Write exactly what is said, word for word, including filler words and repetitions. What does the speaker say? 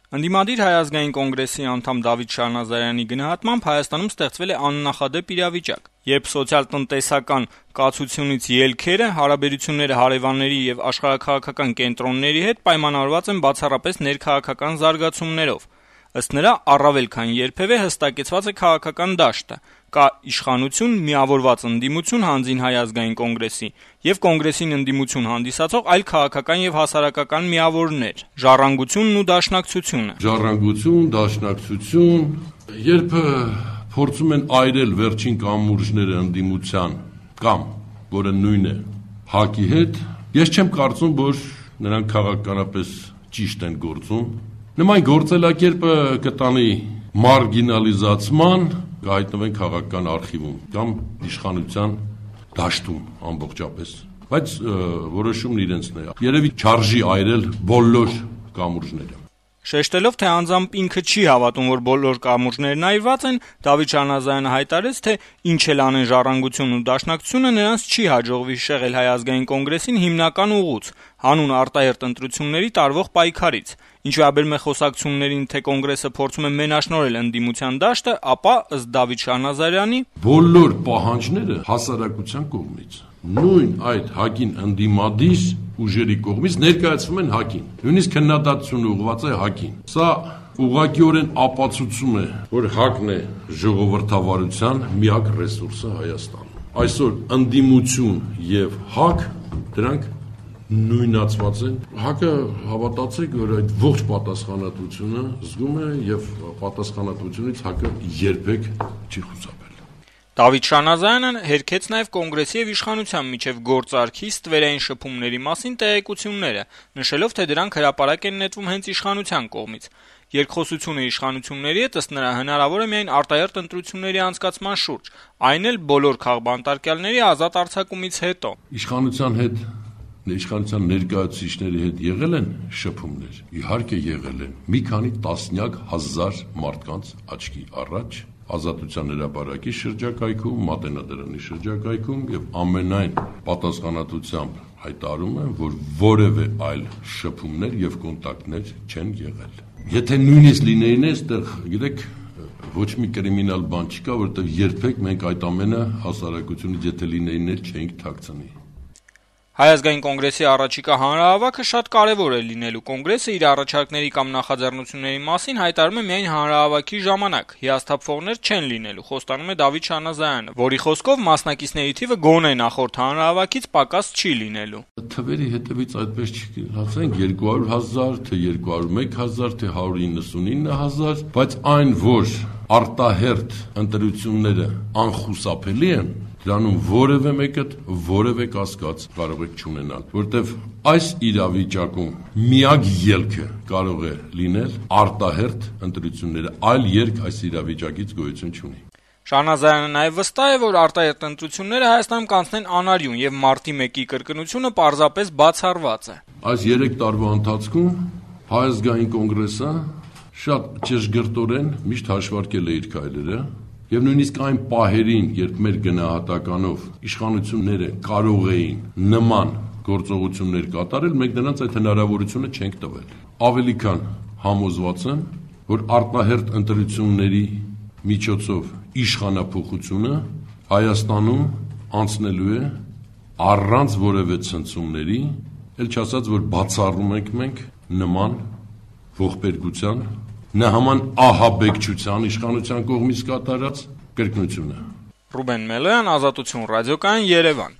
Ընդդիմադիր Հայ ազգային կոնգրեսի անդամ Դավիթ Շահնազարյանի գնահատմամբ Հայաստանում ստեղծվել է աննախադեպ իրավիճակ, երբ սոցիալ-տնտեսական կացությունից ելքերը, հարաբերությունները հարևանների եւ աշխարհաքաղաքական կենտրոնների հետ պայմանավորված են բացառապես ներքաղաքական զարգացումներով։ Ըստ նրա, առավել քան երբևէ հստակեցված է քաղաքական դաշտը, կա իշխանություն, միավորված ընդդիմություն հանձին Հայ ազգային կոնգրեսի եւ կոնգրեսին ընդդիմություն հանդիսացող այլ քաղաքական եւ հասարակական միավորներ, ժառանգությունն ու դաշնակցությունը։ Ժառանգություն, դաշնակցություն, երբ փորձում են այրել վերջին կամուրջները ընդդիմության կամ որը նույնն է ՀԱԿ-ի հետ, ես չեմ կարծում, որ նրանք քաղաքականապես ճիշտ են գործում։ Նման գործելակերպը կտանի մարգինալիզացման, կհայտնվեն քաղաքական արխիվում կամ իշխանության դաշտում ամբողջապես, բայց որոշումն իրենցն է։ Երևի չարժի այրել բոլոր կամուրջները։ Շեշտելով, թե անձամբ ինքը չի հավատում, որ բոլոր կամուրջներն այրված են, Դավիթ Շահնազարյանը հայտարարեց, թե ինչ էլ անեն ժառանգությունն ու դաշնակցությունը, նրանց չի հաջողվի շեղել Հայ ազգային կոնգրեսին հիմնական ուղուց, հանուն արտահերթ ընտրությունների տարվող պայքարից։ Ինչ վերաբերում է խոսակցություններին, թե կոնգրեսը փորձում է մենաշնորհել ընդդիմության դաշտը, ապա ըստ Դավիթ Շահնազարյանի բոլոր պահանջները հասարակության կողմից, նույն այդ ՀԱԿ-ին ընդդիմադիր ուժերի կողմից ներկայացվում են ՀԱԿ-ին, նույնիսկ քննադատությունը ուղղված է ՀԱԿ-ին։ Սա ուղղակիորեն ապացուցում է, որ ՀԱԿ-ն է ժողովրդավարության միակ ռեսուրսը Հայաստանում։ Այսօր ընդդիմություն եւ ՀԱԿ դրանք նույնացված են։ ՀԱԿ-ը հավատացեք, որ այդ ողջ պատասխանատվությունը զգում է եւ պատասխանատվությունից ՀԱԿ-ը երբեք չի խուսափել։ Դավիթ Շահնազարյանը հերքեց նաև կոնգրեսի եւ իշխանության միջև գործարքի ստվերային շփումների մասին տեղեկությունները, նշելով, թե դրանք հրապարակ են նետվում հենց իշխանության կողմից։ Երկխոսությունը իշխանությունների հետ ըստ նրա հնարավոր է միայն արտահերթ ընտրությունների անցկացման շուրջ, այն էլ բոլոր քաղբանտարկյալների ազատ արձակումից հետո։ Իշխանության հետ Իշխանության ներկայացուցիչների հետ եղել են շփումներ, իհարկե եղել են, մի քանի տասնյակ հազար մարդկանց աչքի առաջ, Ազատության հրապարակի շրջակայքում, Մատենադարանի շրջակայքում եւ ամենայն պատասխանատվությամբ հայտարարում են, որ որևէ այլ շփումներ եւ կոնտակտներ չեն եղել։ Եթե նույնիսկ լինեին, այստեղ գիտեք, ոչ մի կրիմինալ բան չկա, որովհետեւ երբեք մենք այդ ամենը հասարակությունից եթե լինեին, չէինք թաքցնի։ Հայ ազգային կոնգրեսի առաջիկա հանրահավաքը շատ կարևոր է լինելու։ Կոնգրեսը իր առաջարկների կամ նախաձեռնությունների մասին հայտարարում է միայն հանրահավաքի ժամանակ։ Հիասթափվողներ չեն լինելու, խոստանում է Դավիթ Շահնազարյանը, որի խոսքով մասնակիցների թիվը գոնե նախորդ հանրահավաքից պակաս չի լինելու։ Թվերի հետևից այդպես չի, ասենք երկու հարյուր հազար, թե երկու հարյուր մեկ հազար, թե հարյուր իննսունինը հազար, բայց այն, որ արտահերթ ընտրությունները անխուսափելի են, դրանում որևէ մեկը որևէ կասկած կարող եք չունենալ, որտեվ այս իրավիճակում միակ ելքը կարող է լինել արտահերթ ընտրությունները, այլ ելք այս իրավիճակից գոյություն չունի։ Շահնազարյանը նաև վստահ է, որ արտահերթ ընտրությունները Հայաստանում կանցնեն անարյուն եւ մարտի մեկի կրկնությունը պարզապես բացառված է։ Այս երեք տարվա ընթացքում Հայ ազգային կոնգրեսը շատ ճշգրտորեն միշտ հաշվարկել է իր քայլերը եւ նույնիսկ այն պահերին, երբ մեր գնահատականով իշխանությունները կարող էին նման գործողություններ կատարել, մենք նրանց այդ հնարավորությունը չենք տվել։ Ավելի քան համոզված եմ, որ արտահերթ ընտրությունների միջոցով իշխանափոխությունը Հայաստանում անցնելու է առանց որևէ ցնցումների, ել չասած, որ բացառում ենք մենք նման ողբերգության, նահաման ահաբեկչության իշխանության կողմից կատարած կրկնությունը։ Ռուբեն Մելոյան, Ազատություն ռադիոկայան, Երևան։